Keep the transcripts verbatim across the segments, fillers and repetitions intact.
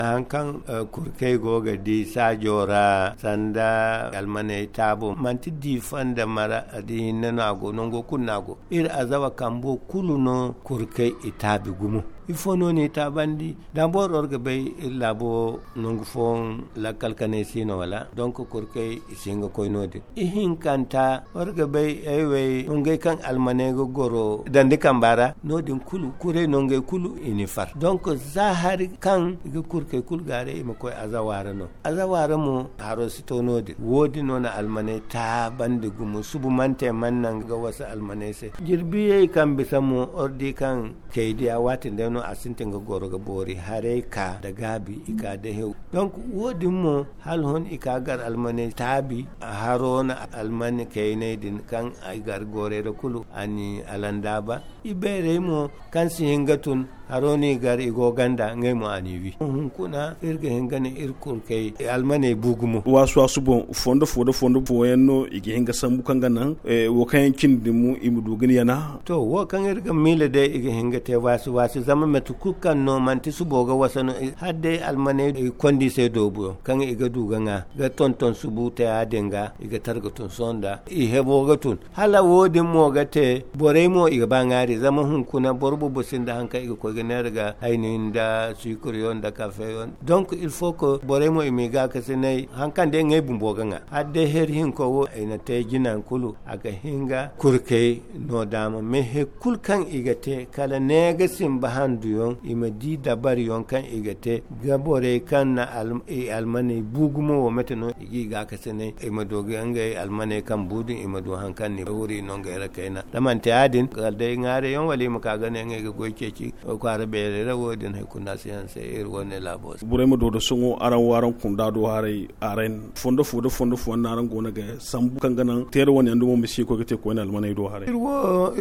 Hari kaŋ kurkey go ga di saajo ra sanda almaney taabo, manti diifa nda mara, da hinne no a go, nango kulu no a go. Iri azawa kambo kulu no kurkey i taabi gumo. Ifo no n'i taabandi? Da boro ga bay iri laabo nangu fooyaŋ lakkal kanay si no wala? Donk kurkey i si hin ga koy no- din. Ihinkanta, war ga bay ay wey nongey kaŋ almaney ga goro dandi kamba ra, no- din kulu kuray nongey kulu i n'i far. Donk za hari kaŋ i ga kurkey kulu gaaray i ma koy azawa ra no. Azawa ra mo haro si to no- din. Wo- din no na almaney taabandi gumo. Subu mante mana naŋ ga wasa almaney se. Jirbiyey kaŋ bisa mo war di kaŋ kaydiya waati nda no a sintin ga goro ga boori haray ka nda gaabi i ka da hew. Donk wo- din mo hala hon i ka gar almaney taabi. Haro na almani kayney din kaŋ i gar goorey ra kulu a n'i alandaaba. I beerey mo kaŋ si hin ga tun, haro n'i gar i go ganda ngey mo a n'i wi. Hunkuna iri ga hin ga ne iri kurkey almaney bu gumo. Waasu waasu boŋ fondo fo da fondo fooyaŋ no i ga hin ga sambu kaŋ ga naŋ wo kaŋ yaŋ cindi din mo i ma du ga ni yana. To, wo kaŋ iri ga miila day i ga hin ga te waasi waasi zama mate kulu kaŋ no manti subo ga wasa no. Hala day almaney i kondi se doobuyaŋ kaŋ i ga du ga ŋwa ga tonton subu te ya- din ga i ga tara ga tun sohõ nda i hebo ga tun. Hala wo- din mo ga te borey mo i ga ba ŋwaari zama hunkuna boro boobo sinda hari kaŋ i ga koy ga neera ga hayni nda suukuriyaŋ nda kafeyaŋ. Donk il faut que borey mo i m'i gaakasinay hari kaŋ day ngey bumbo ga ŋwa. Hala day heri hinko wo i na te jinaŋ kulu a ga hin ga kurkey no daama mais hari kulu kaŋ i ga te kala ne ga simba handuyaŋ i ma di dabariyaŋ kaŋ i ga te ga borey kaŋ na i almaney bu gumo wo mate no i g'i gaakasinay i ma du ga ngey almaney kaŋ bu din i ma du hari kaŋ ni wuri no ngey ra kayna da manti ya- din kala day ŋwaarey yaŋ wala i ma ka ga ne ngey ga goy ceeci kwaara beerey ra wo- din hari kulu no a si hanse iri wane laabo se. Borey ma do da sohõ araŋ wo araŋ kunda do haray araŋ fondo fo da fondo fo no araŋ go no ga sambu kaŋ ga naŋ teera wane yaŋ dumo ma si koy ga te koyne almaney do haray.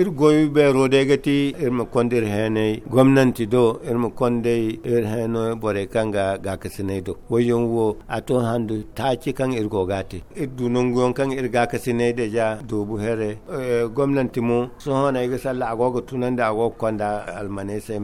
Iri goy beero day ga ti iri ma konda iri heenay gomnanti do iri ma konda iri heenay borey kaŋ ga gaakasinay do. Woy yaŋ wo a to handu taaci kaŋ iri go ga a te iri du nangu yaŋ kaŋ iri gaakasinay deja doobu here. Gomnanti mo sohõ no ay ga salla a go ga tunandi a go ga konda almaney se.